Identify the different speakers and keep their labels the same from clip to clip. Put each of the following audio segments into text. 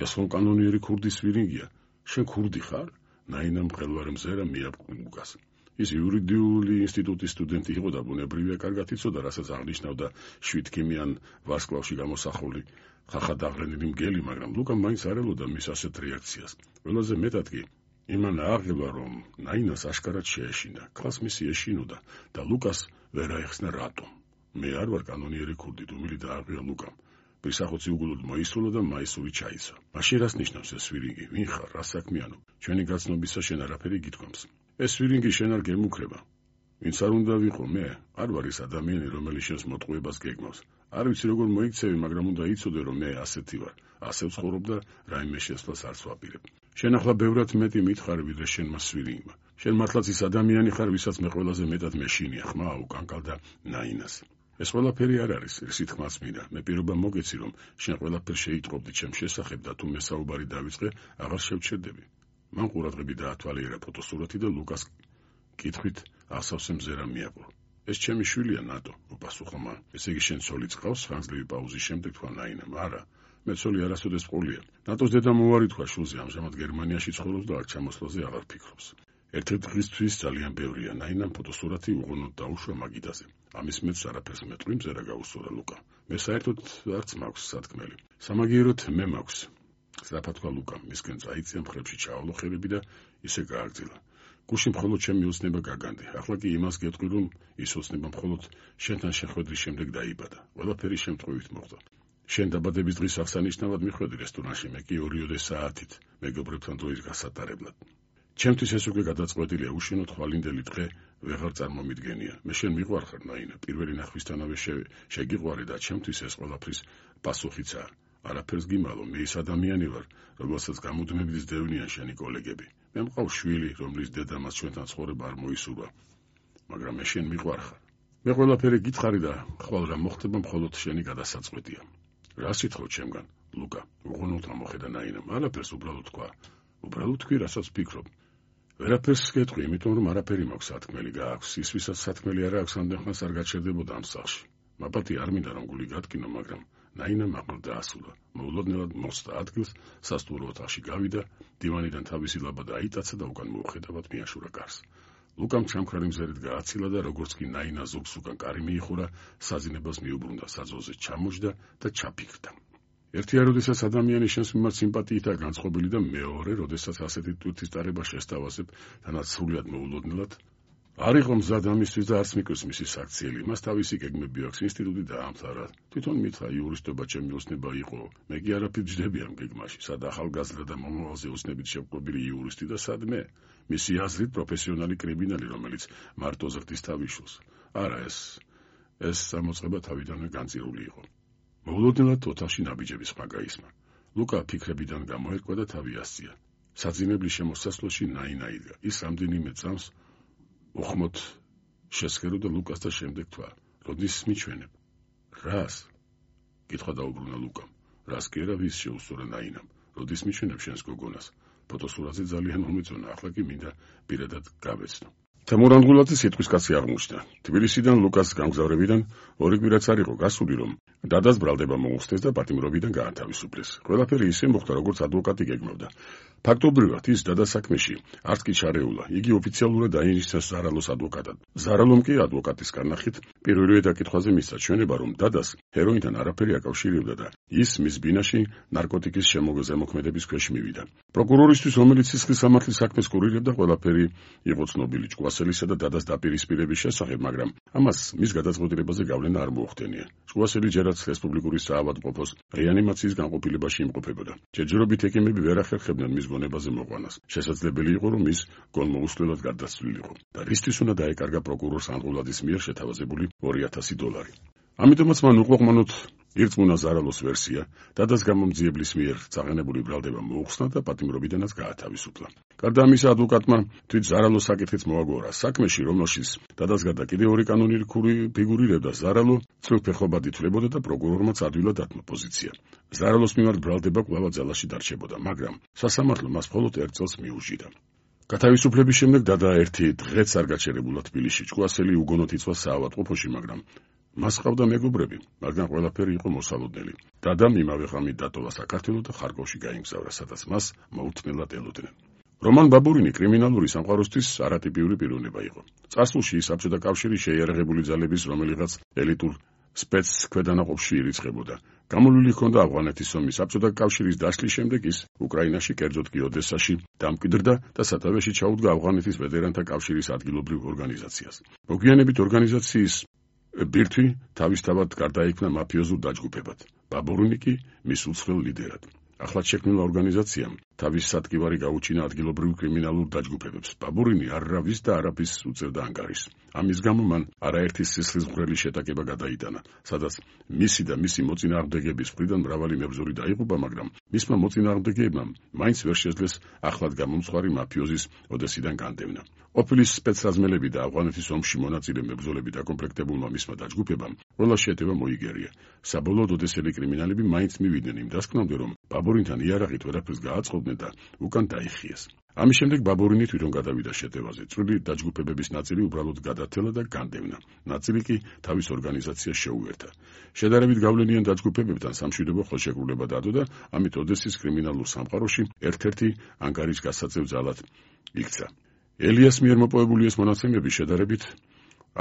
Speaker 1: ეს ხომ კანონიერი ქურდის ვირინგია. შენ ქურდი ხარ? ნაინამ მყელვარე მზერა მიაბყნა ლუკას. ის იურიდიული ინსტიტუტის სტუდენტი იყო და ბუნებრივია კარგად იცოდა, რასაც აღნიშნავდა 7 ქიმიან ვარსკვლავში გამოსახული ხახად აღრენილი მგელი, მაგრამ ლუკამ მაინც არ ელოდა მის ასეთ რეაქციას. ყველაზე მეტად კი იმან აღილა, რომ ნაინას აშკარად შეეშინა, ქალს მისი ეშინოდა და ლუკას ვერ აეხსნა რატომ. მე არ ვარ კანონიერი ქურდი, დუმილი დააღია ლუკამ. პრისახოცი უგულოდ მოისურვა და მაისური ჩაიცვა. მაშინ რას ნიშნავს ეს ვირინგი? ვინ ხარ? რა საქმიანობ? ჩვენი გაცნობისა შენ არაფერი გითქვამს. ეს ვირინგი შენ არ გემუქრება. ვინც არ უნდა ვიყო მე, არ ვარ ის ადამიანი, რომელიც შენს მოტყუებას გეგმავს. არ ვიცი როგორ მოიქცევი, მაგრამ უნდა იცოდე, რომ მე ასეთი ვარ. ასე ვცხოვრობ და რაიმე შესვლას არც ვაპირებ. შენ ახლა ბევრად მეტი მითხარი, ვიდრე შენმა სვირინგმა. შენ მართლაც ის ადამიანი ხარ, ვისაც მე ყველაზე მეტად მეშინია, ხმა უკანკალდა ნაინას. ეს ყველაფერი არ არის, ისი თქმაც მინდა. მე პირობა მოგეცი, რომ შენ ყველაფერს შეიტყობდი ჩემს შესახებ და თუ მე საუბარი დავიწყე, აღარ შევჩერდები. მან ყურადღები დაათვალიერა ფოტოსურათი და ლუკას კითხვით ასავსე მზერა მიაპყრო. ეს ჩემი შვილია ნატო, უპასუხა მან. ესე იგი შენ ცოლი წყავს? ხანგრძლივი პაუზის შემდეგ თქვა ნაინამ. არა, მე ცოლი არასოდეს ყოლია. ნატოს დედამ უარი თქვა შულზე, ამჟამად გერმანიაში ცხოვრობს და არ ჩამოსვლაზე აღარ ფიქრობს. ერთ-ერთ დღისთვის ძალიან ბევრია. ნაინამ ფოტოსურათი უღონოდ დაუშვა მაგიდაზე. ამის მეტს არაფერს მეტყვი მზერა გაუსურა ლუკა. მე საერთოდ არც მაქვს სათქმელი. სამაგიეროდ მე მაქვს. სწრაფად თქვა ლუკამ, მისკენ წაიწია მხრებში ჩაავლო ხელები და ისე გააგრძელა. გუში მხოლოდ ჩემი ოცნება გაგანდი. ახლა კი იმას გეტყვი, რომ ის ოცნება მხოლოდ შენთან შეხვედრის შემდეგ დაიბადა. ყველაფერი შემთხვევით მოხდა. შენ დაბადების დღის აღსანიშნავად მიხვედი რესტორანში, მე კი 2 საათით მეგობრებთან დროის გასატარებლად. ჩემთვის ეს უკვე გადაწყვეტილია, უშენოდ ხვალინდელი დღე ვეღარ წარმომიდგენია. მე შენ მიყვარხარ ნაინა, პირველი ნახვისთანავე შეგიყვარე და ჩემთვის ეს ყველაფრის პასუხიცაა. არაფერს გიმალო, მე ის ადამიანი ვარ, რომელსაც გამუდმებით სდევნიან შენი კოლეგები. მე მყავს შვილი, რომლის დედამაც ჩვენთან ცხოვრება არ მოისურვა, მაგრამ მე შენ მიყვარხარ. მე ყველაფერი გითხარი და ხვალ რა მოხდება მხოლოდ შენი გადასაწყვეტია. რა სიტყვით ჩემგან, ლუკა? უღონოდ ამოხედა ნაინამ. არაფერს უბრალოდ თქვა. უბრალოდ თქვი, რასაც ფიქრობ. ვერაფერს გეტყვი, იმიტომ რომ არაფერი მაქვს სათქმელი გააქვს. ის ვისაც სათქმელი არ აქვს, ამდენხანს არ გაჩერდებოდა ამ სახლში. მაპატი არ მინდა რომ გული გატკინო, მაგრამ ნაინამ აყრდ დაასულა. მოულოდნელად მოხსნა ადგილს, სასტუმრო ოთახში გავიდა, დივანიდან თავისი ლაბადა აიტაცა და უკან მოუხედავად მიაშურა კარს. ლუკამ ჩამქრალი მზერით გააცილა და როგორც კი ნაინა ზოგს უკან კარი მიიხურა, საძინებას მიუბრუნდა, საძოზე ჩამოჯდა და ჩაფიქრდა. ერთია, როდესაც ადამიანი შენს მიმართ სიმპათიითაა განწყობილი და მეორე, როდესაც ასეთი ტვირთის ტარება შესთავაზებ, თანაც სრულად მოულოდნელად არ იყო მზად ამისთვის და არც მიკვირს მისი საქციელი. მას თავისი გეგმები აქვს, ინსტიტუტი დაამთავრა. თვითონ მითხრა იურისტობა ჩემი ოცნება იყო. მე კი არაფერ ჯდები ამ გეგმაში. სად ახალგაზრდა და მომავალზე ოცნებით შევყვებილი იურისტი და სად მე, მისი აზრით პროფესიონალი კრიმინალი, რომელიც მარტო ზრდის თავიშულს. არა, ეს გამოწყება თავიდანვე განწირული იყო. მოულოდნელად ოთახში ნაბიჯების ხმა გაისმა. ლუკა ფიქრებიდან გამოერკვა და თავი ასწია. საძინებლის შემოსასვლელში ნაინა იდგა. ის რამდენიმე წამს უხმოდ შესქეროდა ლუკას და შემდეგ თქვა, როდის მიჩვენებ? რას? კითხვა დაუბრუნა ლუკამ. რას კი არა, ვის შეუსწორა ნაინამ. როდის მიჩვენებ შენს გოგონას? ფოტოსურათზე ძალიან მომეწონა, ახლა კი მინდა პირადად გავეცნო. თემურანგულაძე სიტყვის კაცი აღმოჩნდა. თბილისიდან ლუკას გამგზავრებიდან 2 კვირაც არ იყო გასული, რომ დადას ბრალდება მოუხსნეს და პატიმრობიდან გაათავისუფლეს. ყველაფერი ისე მოხდა, როგორც ადვოკატი გეგმავდა. ფაქტობრივად ის დადას საქმეში არც კი ჩარეულა. იგი ოფიციალურად დაინიშნა ზარალოს ადვოკატად. ზარალომ კი ადვოკატის განახით პირველივე დაკითხვაზე მისცა ჩვენება, რომ დადას ჰეროინთან არაფერი აკავშირებდა და ის მის ბინაში ნარკოტიკის შემოგზემოქმედების ქვეშ მივიდა. პროკურორისთვის, რომელიც სისხლის სამართლის საქმეს კურირებდა, ყველაფერი იყო ცნობილი ჭკუასელისა და დადას დაპირისპირების შესახებ, მაგრამ ამას მის გადაწყვეტილებაზე გავლენა არ მოუხდენია. ჭკუასელი ჯერაც რესპუბლიკური საავადმყოფოს რეანიმაციის განყოფილებაში იმყოფებოდა. ჯერჯერობით ექიმები ვერ ახერხებდნენ მის გონებაზე მოყვანას. შესაძლებელი იყო, რომ ის გონმოუსვლელად გარდაცვლილიყო და რისთვის უნდა დაეკარგა პროკურორ სანდღულაძის მიერ შეთავაზებული $2000. ამიტომაც მან უკმაყოფილოდ ირწმუნა ზარალოს ვერსია, დადას გამომძიებლის მიერ წაღენებული ბრალდება მოუხსნა და პატიმრობიდანაც გაათავისუფლა. გარდა ამისა, ადვოკატმა თვით ზარალოს საკითხიც მოაგორა. საქმეში, რომელშიც დადას გარდა კიდევ 2 კანონიერი ფიგურირებდა, ზარალო წვრილფეხობად ითვლებოდა და პროკურორმაც ადვილად დათმო პოზიცია. ზარალოს მიმართ ბრალდება კვლავ ძალაში დარჩებოდა, მაგრამ სასამართლო მას მხოლოდ 1 წელს მიუჟიდა. გათავისუფლების შემდეგ დადა ერთი დღეც არ გაჩერებულა თბილისში. ჭკუასელი უგონოდ იწვა საავადმყოფოში, მაგრამ მას ყავდა მეგობრები, მაგრამ ყველაფერი იყო მოსალოდნელი. დადამ იმავე ღამით დატოვა საქართველო და ხარკოვში გაემგზავრა, სადაც მას მოუთმენლად ელოდნენ. რომან ბაბურინი კრიმინალური სამყაროსთვის არატიპიური პიროვნება იყო. წარსულში საბჭოთა კავშირის შეიარაღებული ძალების რომელიღაც ელიტურ სპეცქვედანაყოფში ირიცხებოდა. გამოლული ჰქონდა ავღანეთის ომის საბჭოთა კავშირის დაშლის შემდეგ ის უკრაინაში, კერძოდ კი ოდესაში დამკვიდრდა და სათავეში ჩაუდგა ავღანეთის ვეტერანთა კავშირის ადგილობრივ ორგანიზაციას. მოგვიანებით ორგანიზაციის ბირთვი თავისთავად გარდაიქმნა მაფიოზულ დაჯგუფებად. ბაბურინი კი მის უცხოელ ლიდერად. ახლად შექმნილ ორგანიზაციამ თავის სადგივარი გაუჩინა ადგილობრივ კრიმინალურ დაჯგუფებებს. ბაბურინი არავის და არაფის უწევდა ანგარიშს. ამის გამო მან არაერთი სისხლისმღვრელი შეტაკება გადაიტანა, სადაც მისი და მისი მოწინააღმდეგეების მხრიდან მრავალი მებრძოლი დაიღუპა, მაგრამ მისმა მოწინააღმდეგეებმა მაინც ვერ შეძლეს ახლად გამომცხვარი მაფიოზის ოდესიდან განდევნა. ყოფილი სპეცრაზმელები და ავღანეთის ომში მონაწილე მებრძოლები დაკომპლექტებულმა მისმა დაჯგუფებამ ყველა შეტევა მოიგერია. საბოლოოდ ოდესელი კრიმინალები მაინც მივიდნენ იმ დასკვნამდე, რომ ბაბურინთან იარაღით ვერაფერს გააწყობდნენ და უკან დაიხიეს. ამის შემდეგ ბაბურინი თვითონ გადავიდა შეტევაზე. წვრილი დაჯგუფებების ნაწილი უბრალოდ გადათელა და განდევნა. ნაწილი კი თავის ორგანიზაციას შეუერთა. შედარებით გავლენიან დაჯგუფებებთან სამშვიდობო ხელშეკრულება დადო და ამით ოდესის კრიმინალურ სამყაროში ერთ-ერთი ანგარიშ გასაწევ ძალად იქცა. ელიას მიერ მოპოვებული ეს მონაცემები შედარებით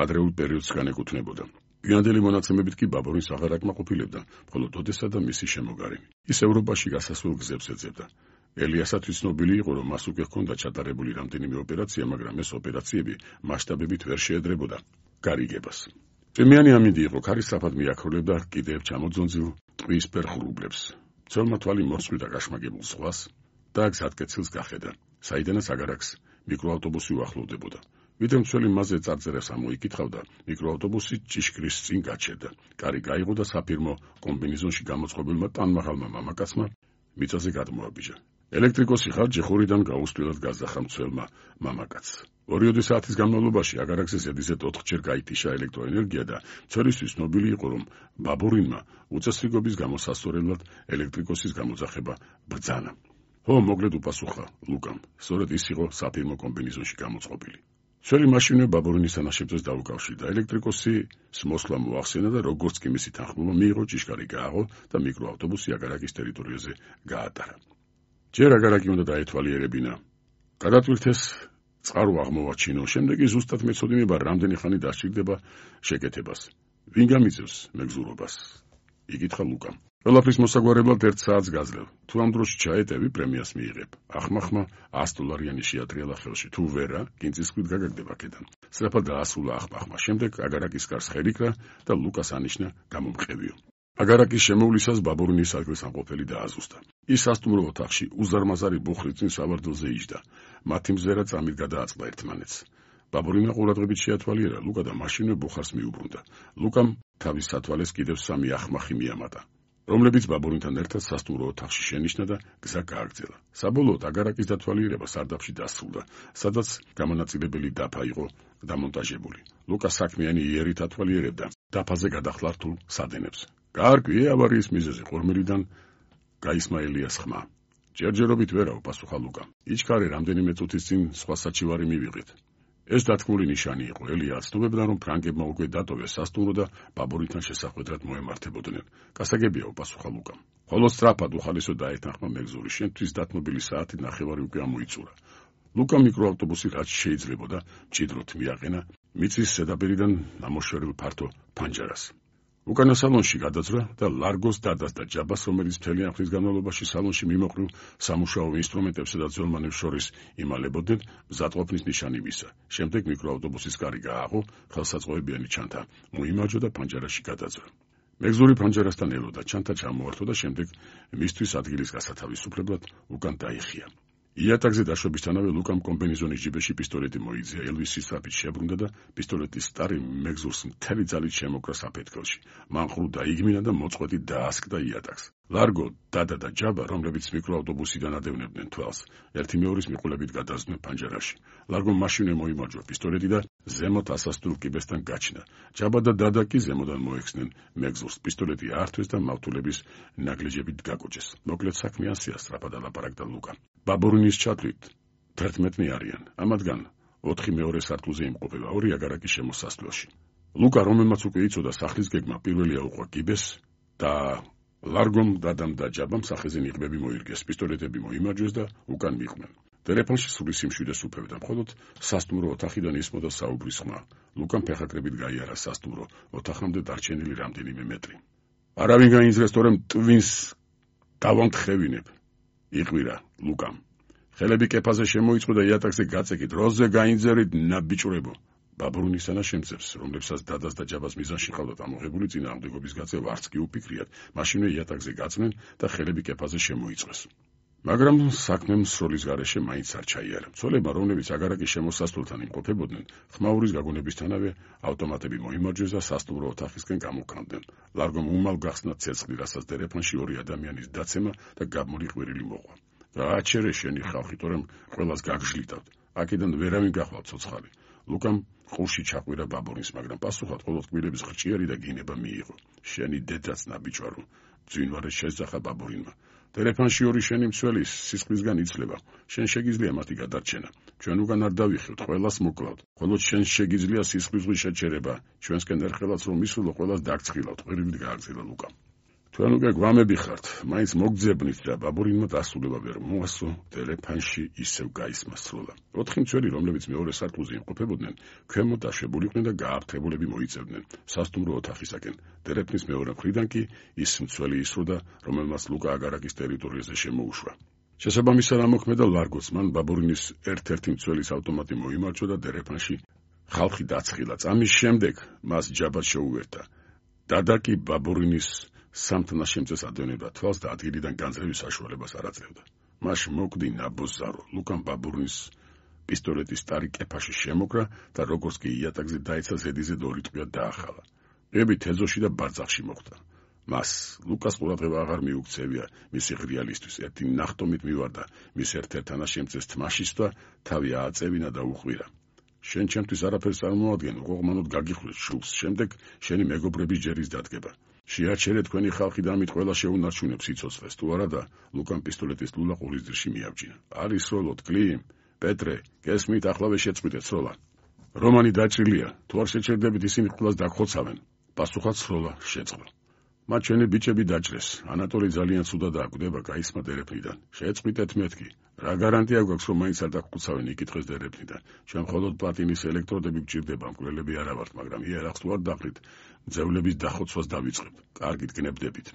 Speaker 1: ადრეულ პერიოდს განეკუთვნებოდა. გვიანდელი მონაცემებით კი ბაბურინს აღარ აკმაყოფილებდა, მხოლოდ ოდესა და მისი შემოგარენი. ის ევროპაში გასასვლელ გზებს ეძებდა. ელიასათვის ცნობილი იყო, რომ მას უკვე ჰქონდა ჩატარებული რამდენიმე ოპერაცია, მაგრამ ეს ოპერაციები მასშტაბებით ვერ შეედრებოდა გარიგებას. წვიმიანი ამინდი იყო, ქარი სწრაფად მიაქროლებდა კიდევ ჩამოძონძილ ტყვიისფერ ღრუბლებს. მცველმა თვალი მოსწყვიტა გაშმაგებულ ზღვას და გზატკეცილს გახედა, საიდანაც აგარაკს მიკროავტობუსი უახლოვდებოდა. ვიდრე მცველი მასზე წარწერას ამოიკითხავდა, მიკროავტობუსი ჭიშკრის წინ გაჩერდა. კარი გაიღო და საფირმო კომბინეზონში გამოწყობილმა ტანმაღალმა მამაკაცმა მიწაზე გადმოაბიჯა. ელექტრიკოსი ხარ, ჯეხურიდან გაუსვლელად გაზახა მცველმა მამაკაცს. 2 საათის განმავლობაში აგარაკზე ზედიზედ 4-ჯერ გაითიშა ელექტროენერგია და მცველისთვის ცნობილი იყო, რომ ბაბურინმა უწესრიგობის გამო სასწორებლად ელექტრიკოსის გამოძახება ბრძანა. "ო, მოგლედ უპასუხა ლუკამ. სწორედ ის იყო საფირმო კომბინეზონში გამოწყობილი. მცველი მაშინვე ბაბურინის თანაშემწეს დაუკავშირდა. ელექტრიკოსის მოსვლა მოახსენა და როგორც კი მისი თანხმობა მიიღო, ჭიშკარი გააღო და მიკროავტობუსი აგარაკის ტერიტორიაზე გაატარა. ჯერ აგარაკი უნდა დაეთვალიერებინა. გადატვირთეს წყარო აღმოვაჩინო, შემდეგ ის ზუსტად მეცოდინება რამდენი ხანი დასჭირდება შეკეთებას. ვინ გამიწევს მეგზურობას? იკითხა ლუკამ. ყველაფრის მოსაგვარებლად 1 საათს გაძლევ. თუ ამ დროში ჩაეტევი, პრემიას მიიღებ. ახმახმა $100 შეატრიალა ხელში. თუ ვერა, კინწისქვით გაგაგდება აქედან. სწრაფად დაასრულა ახმახმა. შემდეგ აგარაკის კარს ხელიქრა და ლუკას ანიშნა გამომყევიო. აგარაკის შემოვლისას ბაბურინის ადგილსამყოფელი დააზუსტა. ის სასტუმრო ოთახში უზარმაზარი ბუხრის წინ სავარდელზე იჯდა. მათი მზერა წამით გადააწყდა ერთმანეთს. ბაბურინა ყურადღებით შეათვალიერა ლუკა და მაშინვე ბუხარს მიუბრუნდა. ლუკამ თავის სათვალეს კიდევ 3 ახმახი მიამატა, რომლებიც ბაბურინთან ერთად სასტუმრო ოთახში შენიშნა და გზა გააგრძელა. საბოლოოდ აგარაკის დათვალიერება სარდაფში დასრულდა, სადაც გამონაწილებელი დაფა იყო დამონტაჟებული. ლუკა საქმიანი იერით ათვალიერებდა დაფაზე გადახლა რთულ სადენებს. "კარგი, ავარიის მიზეზი ყურმილიდან გაისმა ელიას ხმა." "ჯერჯერობით ვერა," უპასუხა ლუკა. "იჩქარე რამდენიმე წუთის წინ სხვა საჩივარი მივიღეთ." ეს დათქმული ნიშანი იყო. ელია აცნობებდა, რომ ფრანგებმა უკვე დატოვეს სასტუმრო და ბაბურინთან შესახვედრად მოემართებოდნენ. "გასაგებია," უპასუხა ლუკამ. "ხოლო სწრაფად უხალისო დაეთანხმა მეგზური. შენთვის დათმობილი საათი 9:30 უკვე ამოიწურა." ლუკამ მიკროავტობუსი რაც შეიძლებოდა მჭიდროდ მიაყენა მიწის ზედაპირიდან ამოშორებულ ფართო ფანჯარას. უკანა სალონში გადაძრა და ლარგოს დადასდა ჯაბას, რომელიც მთელი ამ ხნის განმავლობაში სალონში მიმოყრილ სამუშაო ინსტრუმენტებსა და ძველმანებს შორის იმალებოდნენ, მზადყოფნის ნიშანი მისცა. შემდეგ მიკროავტობუსის კარი გააღო, ხელსაწყოებიანი ჩანთა მოიმარჯვა და ფანჯარაში გადაძრა. მეგზური ფანჯარასთან ელოდა, ჩანთა ჩამოართვა და შემდეგ მისთვის ადგილის გასათავისუფლებლად უკან დაიხია. იატაკზე დაშვებისთანავე ლუკამ კომბინეზონის ჯიბეში პისტოლეტი მოიძია, ელვისი სწრაფით შებრუნდა და პისტოლეტის სტარი მეგზურს მთელი ძალით შემოკრა საფეთქელში. მან ყრუ დაიგმინა და მოწყვეტით დაასკდა იატაკს. ლარგო, დადა და ჯაბა, რომლებიც მიკროავტობუსიდან ადევნებდნენ თვალს, ერთი მეორის მიყოლებით გადასდნენ ფანჯარაში. ლარგომ მაშინვე მოიმარჯვა პისტოლეტი და ზემოთ ასასტურლ კიბესთან გაჩნდა. ჯაბა და დადა კი ზემოდან მოექცნენ მეგზურს. პისტოლეტი აართვეს და მავთულების ნაგლეჯებით გაკოჭეს. მოკლედ საქმე ასეა, სწრაფად ალაპარაკდა ლუკა. ბაბურინის ჩათვლით 11 არიან. ამათგან 4 მეორე სართულზე იმყოფება, 2 აგარაკის შემოსასვლელში. ლუკა, რომელმაც უკვე იცოდა სახლის გეგმა, პირველი აუყვა კიბეს და ლარგომ დადამ და ჯაბამ სახეზე ნიღბები მოირგეს, პისტოლეტები მოიმარჯვეს და უკან მიყვნენ. ტელეფონში სული სიმშვიდეს უფევდა, მხოლოდ სასტუმრო ოთახიდან ისმოდა საუბრის ხმა. ლუკამ ფეხაკრებით გაიარა სასტუმრო ოთახამდე დარჩენილი რამდენიმე მეტრი. არავინ გაინძრეს, თორემ ტვინს დავამთხევინებ. იყვირა ლუკამ. ხელები კეფაზე შემოიწყო და იატაკზე გაწეკით. როზე გაინძერით, ნაბიჭრებო. ბაბურინისანა შემწევს, რომლებსაც დადას და ჯაბას მიზანში ყავდათ ამოღებული წინააღმდეგობის გაწევა, არც კი უფიქრიათ, მაშინვე იატაკზე გაწნენ და ხელები კეფაზე შემოიწყვეს. მაგრამ საქმემ სროლის გარეშე მაინც არ ჩაიარა. მცველებმა, რომლებიც აგარაკის შემოსასვლელთან იმყოფებოდნენ, ხმაურის გაგონებისთანავე ავტომატები მოიმარჯვეს და სასტუმრო ოთახისკენ გამოკანდნენ. ლარგომ უმალ გახსნა ცეცხლი, რასაც ტელეფონში ორი ადამიანის დაცემა და გაბმული ყვირილი მოყვა. გააჩერე შენი ხალხი, თორემ ყველას გაგჟლიტავთ. აქედან ვერავინ გახვალ ცოცხალი. ლუკამ ყურში ჩაყვირა ბაბურინს, მაგრამ პასუხად მხოლოდ კბილების ხრჭიერი და გინება მიიღო. შენი დედაც ნაბიჯვარო, ძვინვარე შეძახა ბაბურინმა. ტელეფონში ორი შენი მცველის სისხლისგან იცლება. შენ შეგიძლია მათი გადარჩენა. ჩვენ უკან არ დავიხევთ, ყველას მოკლავთ. მხოლოდ შენ შეგიძლია სისხლისღვის შეჩერება. ჩვენსკენ ერთხელაც რომ მისულო, ყველას დაგცხილავთ. ყვირილით გააგზავნა ლუკამ. თქვენ უკვე გვამები ხართ, მაინც მოგძებნით და ბაბურინმა დასულება ვერ მოასწრო, ტელეფონში ისევ გაისმა სროლა. 4 მცველი, რომლებიც მეორე სართულზე იმყოფებოდნენ, ქვემოთ აშვებულიყვნენ და გააფრთხებულები მოიწევდნენ სასტუმრო ოთახისაკენ. ტელეფონის მეორე მხრიდან კი ის მცველი ისროდა, რომელმაც ლუკა აგარაკის ტერიტორიაზე შემოუშვა. შესაბამისად ამოქმედა ლარგოც, მან ბაბურინის ერთ-ერთი მცველის ავტომატი მოიმარჯვა და ტელეფონში ხალხი დაცხილა. წამის შემდეგ მას ჯაბად შეუერთდა. დადა კი ბაბურინის სამთნას შემწეს ადევნებდა თვალს და ადგილიდან განძრევის საშუალებას არ აძლევდა. მას მოკვდი ნაბოზარო. ლუკამ ბაბურინის პისტოლეტის ტარი კეფაში შემოკრა და როგორც კი იატაკზე დაეცა, ზედიზე ორი ტყვია დაახალა. ყები თეზოში და ბარძახში მოხვდა. მას ლუკას ყურადღება აღარ მიუქცევია მისი ღრიალისთვის. ერთი ნახტომით მივარდა მის ერთ-ერთ თანაშემწეს თმაშის და თავი ააწევინა და უყვირა. შენ ჩემთვის არაფერს წარმოადგენ, უყოღმანოდ გაგიხვლეს შულს. შემდეგ შენი მეგობრების ჯერის დადგება. შეაჩერე თქვენი ხალხი და ამით ყველა შეუნარჩუნებს სიცოცხლეს. თუ არა და ლუკამ პისტოლეტის ლულა ყურის ძირში მიაბჯინა. არის სროლოთ, კლიმ, პეტრე, გესმით, ახლავე შეწყვიტეთ სროლა. რომანი დაჭრილია, თუ არ შეჩერდებით ისინი ყველას დაგხოცავენ. პასუხად სროლა შეწყდა. მათ ჩვენი ბიჭები დაჭრეს. ანატოლი ძალიან ცუდად აკვდება, გაისმა ტელეფონიდან. შეწყვიტეთ მეთქი. რა გარანტია გვაქვს, რომ მაინც არ დაგხოცავენ, იკითხეს ტელეფონიდან. ჩვენ მხოლოდ პლატინის ელექტროდები გვჭირდება, მკვლელები არა ვართ, მაგრამ იარაღს თუ არ დაყრით, მძევლების დახოცვას დავიწყებთ. კარგით გნებდებით.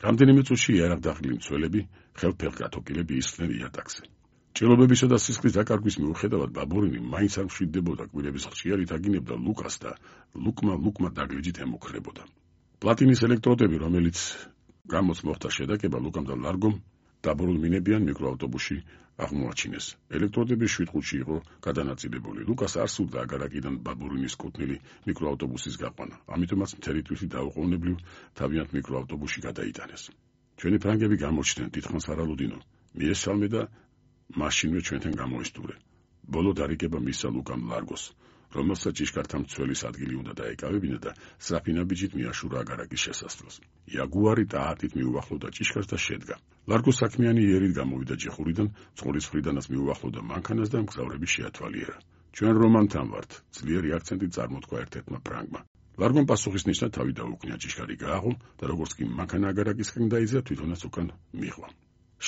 Speaker 1: რამდენიმე წუთში იარაღ დაყრილი მცველები, ხელფეხგათოკილები ისხდნენ იატაკზე. ჭრილობებისა და სისხლის დაკარგვის მიუხედავად, ბაბურინი მაინც არ მშვიდდებოდა, კბილების ხრჭიარით აგინებდა ლუკას და ლუკმა დაგლიჯით ემუქრებოდა. პლატინის ელექტროდები, რომელიც გამოც მოხდა შედაკება, ლუკამ და ლარგომ დაბორულმინებიან მიკროავტობუსში აღმოაჩინეს. ელექტროდები 7 ყუთში იყო გადანაწილებული. ლუკას არ სურდა აგარაკიდან ბაბურინის კუთვნილი მიკროავტობუსის გაყვანა. ამიტომაც მთელი თვისი დაუყოვნებლივ თავიანთ მიკროავტობუსში გადაიტანეს. ჩვენი ფრანგები გამოჩნდნენ, თითქმის არალუდინო. მიესალმე და მაშინვე ჩვენთან გამოესტურე. ბოლო დარიგება მისცა ლუკამ ლარგოს, რომელსაც ჭიშკართა მცველის ადგილი უნდა დაეკავებინა და სრაფინაბიჯით მიაშურა აგარაკის შესასვლელს. იაგუარი ტაატით მიუახლოვდა ჭიშკარს და შედგა. ლარგო საქმიანი იერით გამოვიდა ჯეხურიდან, წყურის მხრიდანაც მიუახლოვდა მანქანას და მგზავრები შეათვალიერა. ჩვენ რომანთან ვართ, ძლიერი აქცენტით წარმოთქვა ერთ-ერთმა ფრანგმა. ლარგომ პასუხისნიშნად თავი დაუκნია, ჭიშკარი გააღო და როგორც კი მანქანა აგარაკისკენ დაიძრა, თვითონაც უკან მიღვა.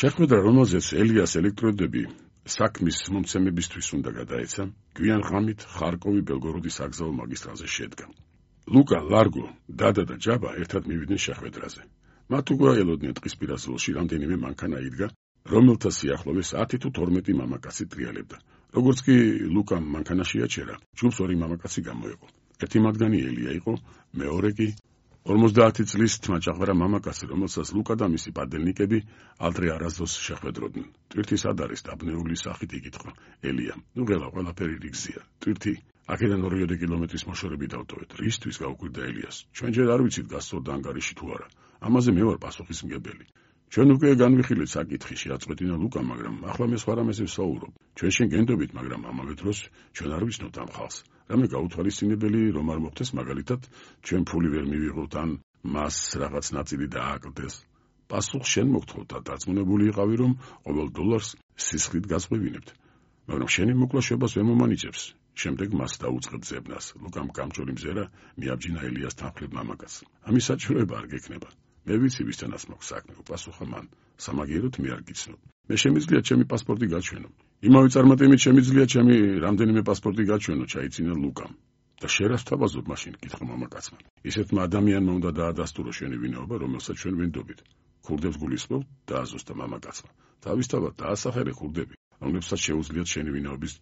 Speaker 1: შეხვედრა, რომელზეც ელიას ელექტროდები საქმის მომცემებისთვის უნდა გადაეცა, გვიან ღამით ხარკოვი-ბელგოროდის საგზაო მაგისტრალზე შედგა. ლუკა, ლარგო, დადა და ჯაბა ერთად მივიდნენ შეხვედრაზე. მათ უკვე ელოდნენ ტყისპირა ზოლში რამდენიმე მანქანა იდგა, რომელთა სიახლოვეს 10 თუ 12 მამაკაცი ტრიალებდა. როგორც კი ლუკამ მანქანაში აჩერა, ჯგუფს ორი მამაკაცი გამოეყო. ერთი მათგანი ელია იყო, მეორე კი 50 წლის თმაჭაღვრა მამაკაცი, რომელსაც ლუკა და მისი პადელნიკები ადრე არასდროს შეხვედროდნენ. ტვირთი სად არის? დაბნეული სახით იკითხა ელიამ. ნუ ღელა, ყველაფერი რიგზია. ტვირთი, აქედან 2 კილომეტრის მოშორები დავტოვეთ. რისთვის? გაუკვირდა ელიას. ჩვენ ჯერ არ ვიცით გასწორდა ანგარიში თუ არა. ამაზე მე ვარ პასუხისმგებელი. ჩვენ უკვე განვიხილეთ საკითხი, შეაწყვეტინა ლუკა, მაგრამ ახლა მე სხვა რამეზე ვსაუბრობ. ჩვენ შენ გენდობით, მაგრამ ამავე დროს ჩვენ არ ვიცნობთ ამ ხალხს. რამე გაუთვალისწინებელი რომ არ მოხდეს, მაგალითად, ჩვენ ფული ვერ მივიღოთ ან მას რაღაც ნაწილი დააკლდეს. პასუხს შენ მოგთხოვ და დარწმუნებული იყავი, რომ ყოველ დოლარს სისხლით გასყვევინებთ. მაგრამ შენი მოკლა შვებას ვერ მომანიჭებს. შემდეგ მას დაუწყებ ძებნას. ლუკამ გამჭოლი მზერა მიაბჯინა ელიას თანხლებ მამაკაცს. ამის საჭიროება არ გექნება. მე ვიცი ვისთანაც მაქვს საქმე, პასუხა მან. სამაგიეროდ მე არ გიცნობ. მე შემიძლია ჩემი პასპორტი გაჩვენო. იმავე წარმატებით შემიძლია ჩემი რამდენიმე პასპორტი გაჩვენო, ჩაიცინა ლუკამ. და შერას თავაზობ მაშინ, კითხა მამაკაცმა. ისეთმა ადამიანმა უნდა დაადასტურო შენი ვინაობა, რომელსაც ჩვენ ვენდობით. ქურდებს გულისხმობ, დააზუსტა მამაკაცმა. თავისთავად დაასახელე ქურდები, რომლებსაც შეუძლიათ შენი ვინაობის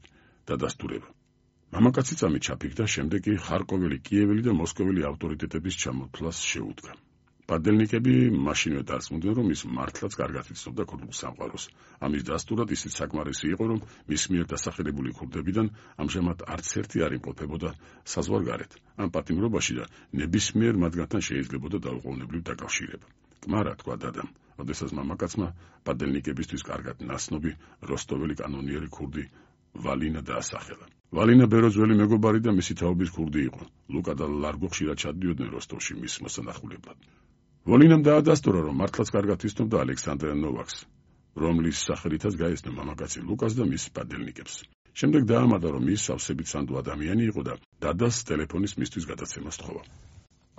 Speaker 1: დადასტურება. მამაკაცი წამით ჩაფიქდა, შემდეგ კი ხარკოველი, კიეველი და მოსკოველი ავტორიტეტების ჩამოთვლას შეუდგა. პადელნიკები მაშინვე დარწმუნდნენ, რომ ის მართლაც კარგად იცნობდა ქურდულ სამყაროს. ამის დასტურად ისიც საკმარისი იყო, რომ მის მიერ დასახელებული ქურდებიდან ამჟამად არც ერთი არ იმყოფებოდა საზღვარგარეთ, ამ პატიმრობაში და ნებისმიერ მათგანთან შეიძლებოდა დაუყოვნებლივ დაკავშირება. კმარა, თქვა დადამ, როდესაც მამაკაცმა პადელნიკებისთვის კარგად ნაცნობი როსტოველი კანონიერი ქურდი ვალინა დაასახელა. ვალინა ბეროძველი მეგობარი და მისი თაობის ქურდი იყო. ლუკა და ლარგო ხშირად ჩადიოდნენ როსტოვში მის მოსანახულებლად. ვალინამ დაადასტურა, რომ მართლაც კარგად იცნობდა ალექსანდრე ნოვაკს, რომლის სახელითაც გაეცნო მამაკაცი ლუკას და მის პადელნიკებს. შემდეგ დაამატა, რომ ის სავსებით სანდო ადამიანი იყო და დადას ტელეფონის მისთვის გადაცემა სთხოვა.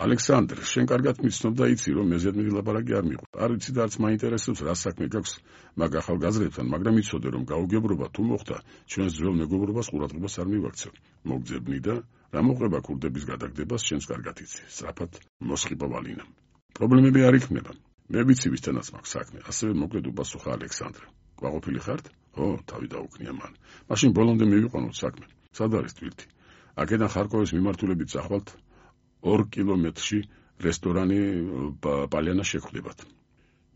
Speaker 1: ალექსანდრ, შენ კარგად მიცნობ და იცი, რომ მეზედ მილაპარაკი არ მიყო. არ ვიცი და არც მაინტერესებს, რა საქმე გაქვს მაგ ახალგაზრდებთან, მაგრამ იცოდე, რომ გაუგებრობა თუ მოხდა, ჩვენს ძველ მეგობრობას ყურადღებას არ მივაქცევ. მოგძებნი და რა მოყვება ქურდების გადაგდებას, შენს კარგად იცი. სწრაფად მოსხიბა ვალინამ. პრობლემები არ იქნება. მე ვიცი, ვისთანაც მაქვს საქმე, ასევე მოკლედ უპასუხა ალექსანდრე. ყვაყოფილი ხართ? ო, თავი დაუქნია მან. მაშინ ბოლომდე მივიყვანოთ საქმე. სად არის თვირთი? აქედან ხარკოვის მიმართულებით წახვალთ 2 კილომეტრში რესტორანი პალიანა შეხვდებათ.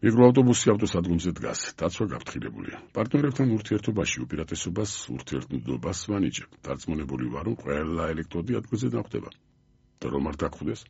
Speaker 1: მიკროავტობუსი ავტოსადგომზე დგას, დაცვა გაფრთხილებულია. პარტნიორებთან ურთიერთობაში უპირატესობას ურთიერთობას ვანიჭებ. დარწმუნებული ვარ, რომ ყველა ელექტროდი ადგილზე დახვდება. და რომ არ დაგხვდეს?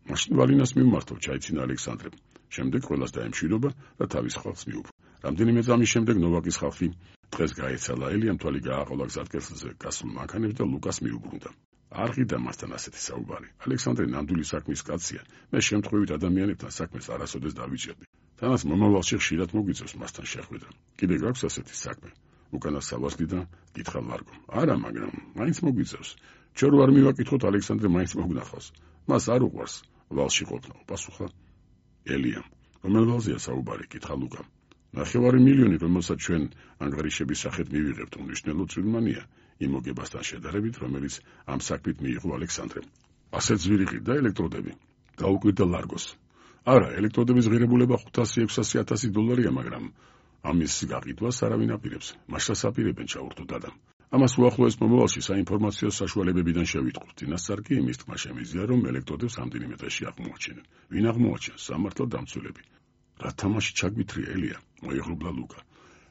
Speaker 1: მაშინ ვალინას მიმართო, ჩაიცინა ალექსანდრემ. შემდეგ ყველას დაემშვიდობა და თავის ხალხს მიუბრუნდა. რამდენიმე წამის შემდეგ ნოვაკის ხალხი დღეს გაეცალა, ელიამ თვალი გააყოლა გზატკეცილზე გასულ მანქანებს და ლუკას მიუბრუნდა. არ ღირდა მასთან ასეთი საუბარი. ალექსანდრე ნამდვილი საქმის კაცია. მე შემთხვევით ადამიანებთან საქმეს არასოდეს დავიჭერდი. თანაც მომავალში ხშირად მოგვიწევს მასთან შეხვედრა. კიდე გაქვს ასეთი საქმე? უკანა სავარდიდან კითხა ლარგომ. არა, მაგრამ მაინც მოგვიწევს. ჩვენ რო არ მივაკითხოთ, ალექსანდრე მაინც მოგნახავს. მას არ უყვარს ვალში ყოფნა, პასუხა ელიამ. რომელ ვალზეა საუბარი? კითხა ლუკამ. 9 მილიონი, რომელსაც ჩვენ ანგარიშების სახით მივიღებთ, უმნიშვნელოდ წვიმანია იმ მოგებასთან შედარებით, რომელიც ამ საქმით მიიღო ალექსანდრემ. ასეც ვირიღი და ელექტროდები. დაუკვირდა ლარგოს. არა, ელექტროდების ღირებულება 500-600 $-ია, მაგრამ ამის გაყიდვას არავინ აპირებს. მაშას აპირებენ, ჩაურთო დადამ. ამას უახლოეს მომავალში საინფორმაციო საშუალებებიდან შევიტყვით. წინასწარ კი იმის თქმა შემიძლია, რომ ელექტროდებს ამდენი მეტაში აღმოაჩენენ. ვინ აღმოაჩენს? სამართალ დამცველები. რა თამაში ჩაგვითრია ელია? მოიღრუბლა ლუკა.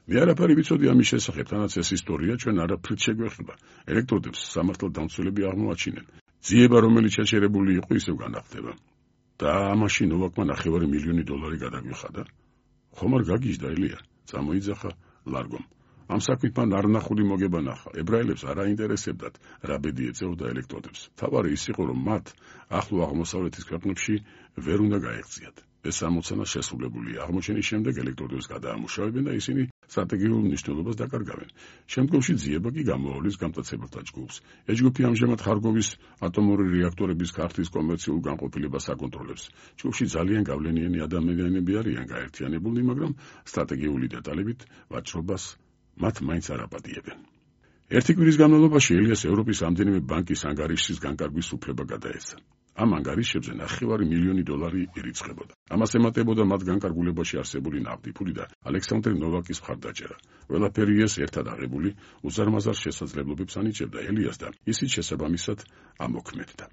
Speaker 1: მე არაფერი ვიცოდი ამის შესახებ, თანაც ეს ისტორია ჩვენ არაფრით შეგვეხება. ელექტროდებს სამართალ დამცველები აღმოაჩინენ. ძიება, რომელიც შეჩერებული იყო, ისევ განახდება. და ამაში ნოვაკმა 9 მილიონი $-ი გადაგვიხადა. ხომ არ გაგიჟდა ელია? წამოიძახა ლარგომ. ამ საქმით მან არნახული მოგება ნახა. ებრაელებს არ აინტერესებდათ, რა ბედი ეწეოდა ელექტროდებს. თავარი ის იყო, რომ მათ ახლო აღმოსავლეთის ქვეყნებში ვერ უნდა გაეღწიათ. ეს ამოცანა შესრულებულია. აღმოჩენის შემდეგ ელექტროდებს გადაამუშავებენ და ისინი სტრატეგიულ მნიშვნელობას დაკარგავენ. შემდგომში ძიება კი გამოავლის გამტაცებელთა ჯგუფს. ეს ჯგუფი ამჟამად ხარკოვის ატომური რეაქტორების ქართლის კომერციულ განყოფილებას აკონტროლებს. ჯგუფში ძალიან გავლენიანი ადამიანები არიან გაერთიანებული, მაგრამ სტრატეგიული დეტალებით ვაჭრობას მათ მაინც არ აპატიებენ. ერთი კვირის განმავლობაში ელიას ევროპის ამდენიმე ბანკის ანგარიშის განკარგვის უფლება გადაეცა. ამ ანგარიშებზე 9 მილიონი $-ი ირიცხებოდა. ამას ემატებოდა მათ განკარგულებაში არსებული ნავთი ფული და ალექსანდრე ნოვაკის მხარდაჭერა. ყველაფერი ეს ერთად აღებული უზარმაზარ შესაძლებლობებს ანიჭებდა ელიას და ისიც შესაბამისად ამოქმედდა.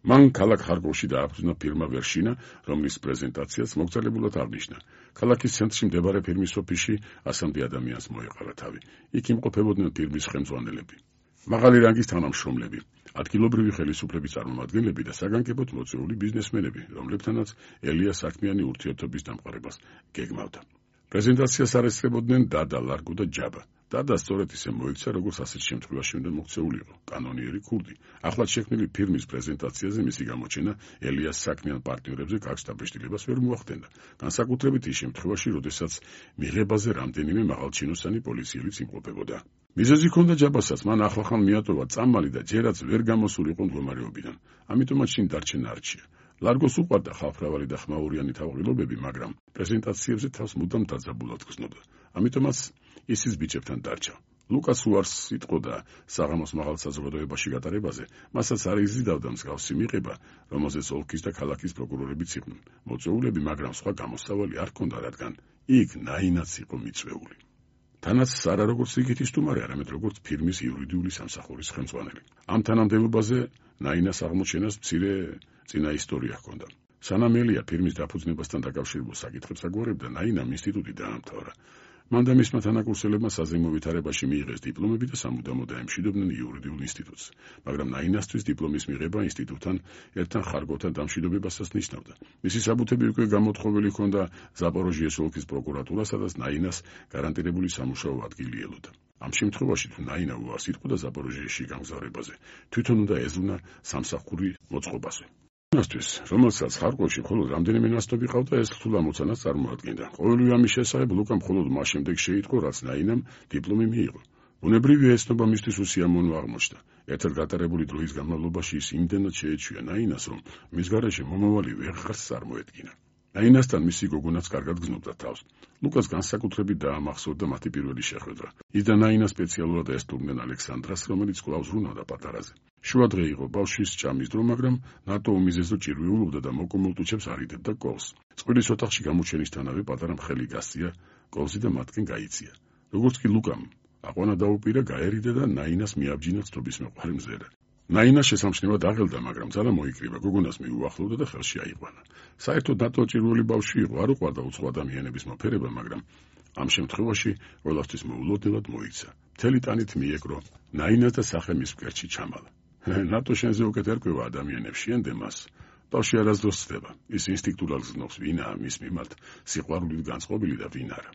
Speaker 1: მან ქალაქ ხარკოვში დააფუძნა ფირმა ვერშინა, რომლის პრეზენტაციაც მოგზაურებულად აღნიშნა. ქალაქის ცენტრში მდებარე ფირმის ოფისში 100 ადამიანს მოეყარა თავი. იქ იმყოფებოდნენ ფირმის ხელმძღვანელები, მაღალი რანგის თანამშრომლები, ადგილობრივი ხელისუფლების წარმომადგენლები და საგანგებოდ მოწვეული ბიზნესმენები, რომლებთანაც ელია საქმიანი ურთიერთობის დამყარებას გეგმავდა. პრეზენტაციას არ ესწრებოდნენ დადა, ლარგო და ჯაბა. და სწორედ ისე მოიქცა, როგორც ასეთ შემთხვევაში უნდა მოქცეულიყო კანონიერი ქურდი. ახლად შექმნილი ფილმის პრეზენტაციაზე მისი გამოჩენა ელიას საქმიან პარტნიორებზე კარგ დაბეჭდილებას ვერ მოახდენდა. განსაკუთრებით ის შემთხვევაში, როდესაც მიღებაზე რამდენიმე მაღალჩინოსანი პოლიციელიც იმყოფებოდა. მიზეზი ჰქონდა ჯაბასაც, მან ახლახან მიატოვა წამალი და ჯერაც ვერ გამოსულიყო მდგომარეობიდან. ამიტომაც შინ დარჩენა არჩია. ლარგოს უყვარდა ხალხმრავალი და ხმაურიანი თავღილობები, მაგრამ პრეზენტაციებზე თავს მუდამ დაძაბულად გრძნობდა. ამიტომაც ისიც ბიჭებთან დარჩა. ლუკას უარს იტყოდა საღამოს მაღალ საზოგადოებაში გატარებაზე, მასაც არ იზიდავდა მსგავსი მიღება, რომელზეც ოლქის და ქალაქის პროკურორებიც იყვნენ მოწვეულები, მაგრამ სხვა გამოსავალი არ ჰქონდა, რადგან იქ ნაინაც იყო მიწვეული. თანაც არა როგორც რიგითი სტუმარი, არამედ როგორც ფილმის იურიდიული სამსახურის ხელმძღვანელი. ამ თანამდებობაზე ნაინას აღმოჩენას მცირე წინა ისტორია ჰქონდა. სანამ ელია ფილმის დაფუძნებასთან დაკავშირებულ საკითხებს აგვარებდა, ნაინამ ინსტიტუტი დაამთავრა. მან და მისმა თანაკურსელებმა საზეიმო ვითარებაში მიიღეს დიპლომები და სამუდამოდ დაემშვიდობდნენ იურიდიულ ინსტიტუტს, მაგრამ ნაინასთვის დიპლომის მიღება ინსტიტუტთან ერთთან ხარგოთან დამშვიდობებასაც ნიშნავდა. მისი საბუთები უკვე გამოთხოვილი ჰქონდა ზაპოროჟიეს ოლქის პროკურატურას, სადაც ნაინას გარანტირებული სამუშაო ადგილი ელოდა. ამ შემთხვევაში თუ ნაინა უარს იტყოდა ზაპოროჟიეში გამგზავრებაზე, თვითონ უნდა ეზუნა სამსახური მოწყობაზე. ნასთვის, რომელსაც ხარკოვში მხოლოდ რამდენიმე ნასტობი ყავდა, ეს რთულ ამოცანას წარმოადგენდა. ყოველივე ამის შესახებ ლუკამ მხოლოდ მას შემდეგ შეიტყო, რაც ნაინამ დიპლომი მიიღო. ბუნებრივია ეცნობა მისთვის უსიამოვნო აღმოჩნდა. ერთად გატარებული დროის განმავლობაში ის იმდენად შეეჩვია ნაინას, რომ მის გარეშე მომავალი ვეღარც წარმოედგინა. ნაინასთან მისი გოგონაც კარგად გრძნობდა თავს. ლუკას განსაკუთრებით დაამახსოვრდა მათი პირველი შეხვედრა. ის და ნაინა სპეციალურად ესტუმრნენ ალექსანდრას, რომელიც კვლავ ზრუნავდა პატარაზე. შუადღე იყო ბავშვის ჭამის დრო, მაგრამ ნატო უმიზესო ჭირვიულობდა და მოკუმულტუჩებს არიდებდა კოლს. წყვილის ოთახში გამოჩენისთანავე პატარა მხელი გასწია კოლსი და მათგან გაიწია. როგორც კი ლუკამ აყვანა დაუპირა, გაერიდა და ნაინას მიაბჯინა ცნობის მეყვარი მზერა. ნაინა შესამჩნევად აღელდა, მაგრამ ძალა მოიკრიბა, გოგონას მიუახლოვდა და ხელში აიყვანა. საერთოდ ნატო ჭირვული ბავშვი იყო, არ უყვარდა უცხო ადამიანების მოფერება, მაგრამ ამ შემთხვევაში ყველასთვის მოულოდნელად მოიცა. მთელი ტანით მიეკრო ნაინას და სახე მის მკერდში ჩამალა. ნატო შენზე უკეთ ერკვევა ადამიანებს, შეენდე მას. ბავშვი არასდროს ცდება. ის ინსტინქტურად გრძნობს, ვინაა მის მიმართ სიყვარულით განწყობილი და ვინ არა.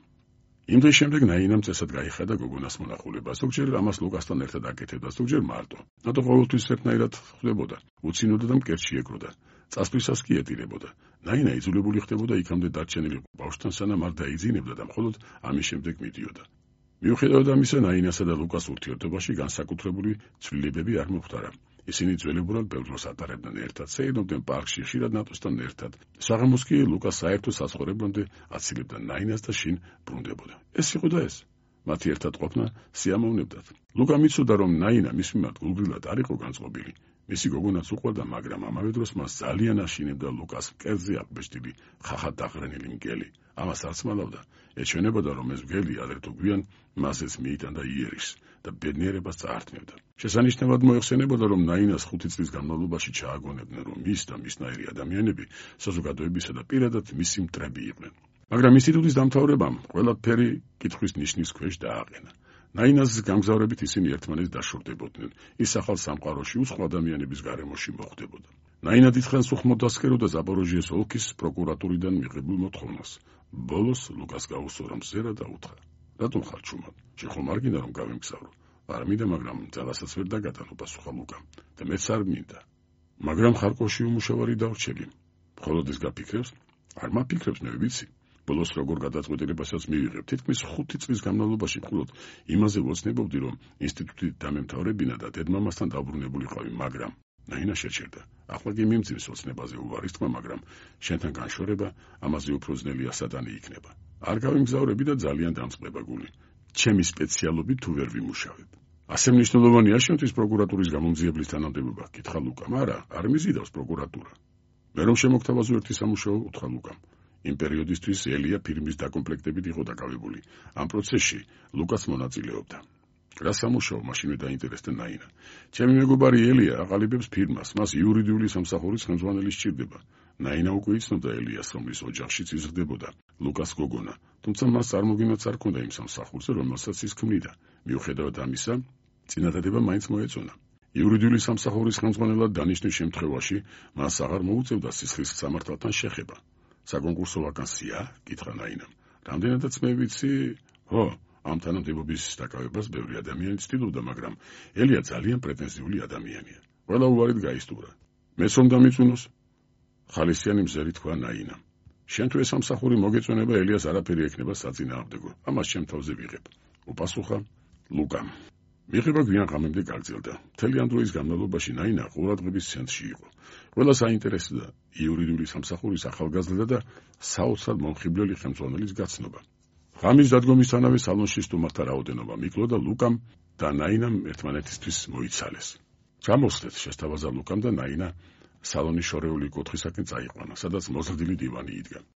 Speaker 1: იმ დღის შემდეგ ნაინამ წესად გაიხადა გოგონას მონახულება. ზოგჯერ ამას ლუკასთან ერთად აკეთებდა, ზოგჯერ მარტო. ნატო ყოველთვის ერთნაირად ხვდებოდა, უცინოდა და მკერდში ეკროდა. წასვლისას კი ეტირებოდა. ნაინა იძულებული ხდებოდა იქამდე დარჩენილი ბავშვთან, სანამ არ დაიძინებდა და მხოლოდ ამის შემდეგ მიდიოდა. მიუხედავად ამისა, ნაინასა და ლუკას ურთიერთობაში განსაკუთრებული ცვლილებები არ მოხდარა. ისინი ძველებურად ბევრ დროს ატარებდნენ ერთად, სეირნობდნენ პარკში, ხშირად ნატოსთან ერთად. საღამოს კი ლუკას საერთო საცხოვრებლამდე აცილებდა ნაინას და შინ ბრუნდებოდა. ეს იყო და ეს. მათი ერთად ყოფნა სიამოვნებდათ. ლუკამ იცოდა, რომ ნაინა მის მიმართ გულგრილად არ იყო განწყობილი. მისი გოგონაც უყვარდა, მაგრამ ამავე დროს მას ძალიან აშინებდა ლუკას მკერდზე აღბეჭდილი ხახად დაყრენილი მგელი. ამას არც მალავდა. ეჩვენებოდა, რომ ეს მგელი ადრე თუ გვიან მასეც მიიტანდა იერიშს და ბედნიერებას წაართმევდა. შესანიშნავად მოიხსენებოდა, რომ ნაინას 5 წლის განმავლობაში ჩააგონებდნენ, რომ ის და მისნაირი ადამიანები საზოგადოებისა და პირადად მისი მტრები იყვნენ. მაგრამ ინსტიტუტის დამთავრებამ ყველაფერი კითხვის ნიშნის ქვეშ დააყენა. ნაინას გამგზავრებით ისინი ერთმანეთს დაშორდებოდნენ. ის ახალ სამყაროში უცხო ადამიანების გარემოში მოხვდებოდა. ნაინა დიდხანს უხმოდ დასკეროდა ზაპოროჟიეს ოლქის პროკურატურიდან მიღებულ მოთხოვნას. ბოლოს ლუკას გაუსწორა მზერა და უთხრა: რატომ ხარ ჩუმად? შეხომ არ გინდა რომ გავემგზავრო? არ მინდა, მაგრამ ძალასაც ვერ დაგატანო, პასუხა ლუკამ. და მეც არ მინდა. მაგრამ ხარკოვში უმუშავარი დავრჩები. მხოლოდ ის გაფიქრებს? არ მაფიქრებს, მე ვიცი. ბოლოს როგორ გადაწყვეტილებასაც მივიღებ. თითქმის 5 წლის განმავლობაში მხოლოდ იმაზე ვოცნებობდი, რომ ინსტიტუტი დამემთავრებინა და დედმამასთან დაბრუნებულიყავი, მაგრამ ნაინა შეჩერდა. ახლა კი მიმძიმს ოცნებაზე უვარის თქმა, მაგრამ შენთან განშორება ამაზე უფრო ძნელია სატანი იქნება. არ გავიმგზავრები და ძალიან დამწყდება გული. ჩემი სპეციალობით თუ ვერ ვიმუშავებ. ასე მნიშვნელოვანია შენთვის პროკურატურის გამომძიებლის თანამდებობა? კითხა ლუკამ. არა, არ მიზიდავს პროკურატურა. მე რომ შემოგთავაზო ერთი სამუშაო, უთხრა ლუკამ. იმ პერიოდისთვის ელია ფილმის დაკომპლექტებით იყო დაკავებული. ამ პროცესში ლუკას მონაწილეობდა. რა სამუშაო? მაშინვე დაინტერესდა ნაინა. ჩემი მეგობარი ელია აყალიბებს ფირმას, მას იურიდიული სამსახურის ხელმძღვანელი სჭირდება. ნაინა უკვე იცნობდა ელიას, რომლის ოჯახშიც იზრდებოდა ლუკას გოგონა, თუმცა მას წარმოგინაც არ ჰქონდა იმ სამსახურზე, რომელსაც ის ქმნიდა. მიუხედავად ამისა, წინადადება მაინც მოეწონა. იურიდიული სამსახურის ხელმძღვანელად დანიშნვის შემთხვევაში მას აღარ მოუწევდა სისხლის სამართალთან შეხება. საკონკურსო ვაკანსია? კითხა ნაინამ. რამდენადაც მე ვიცი, ამ თანამდებობის დაკავებას ბევრი ადამიანი ცდილობდა, მაგრამ ელია ძალიან პრეტენზიული ადამიანია. ყველა უარით გაისტურა. მეც რომ დამიწუნოს? ხალისიანი მზერი თქვა ნაინამ. შენ თუ ეს სამსახური მოგეწონება, ელიას არაფერი ექნება საწინააღმდეგო. ამას ჩემ თავზე ვიღებ. უპასუხა ლუკამ. მიღება გვიან ღამემდე გაგრძელდა. მთელი ამ დროის განმავლობაში ნაინა ყურადღების ცენტრში იყო. ყველა საინტერესოა იურიდიული სამსახურის ახალგაზრდა და საოცრად მომხიბვლელი ხელმძღვანელის გაცნობა. ღამის დადგომისთანავე სალონში სტუმართა რაოდენობა მიკლო და ლუკამ და ნაინამ ერთმანეთისთვის მოიცალეს. გამოსვლით შესთავაზა ლუკამ და ნაინა სალონის შორეული კუთხისაკენ წაიყვანა, სადაც მოზრდილი დივანი იდგა.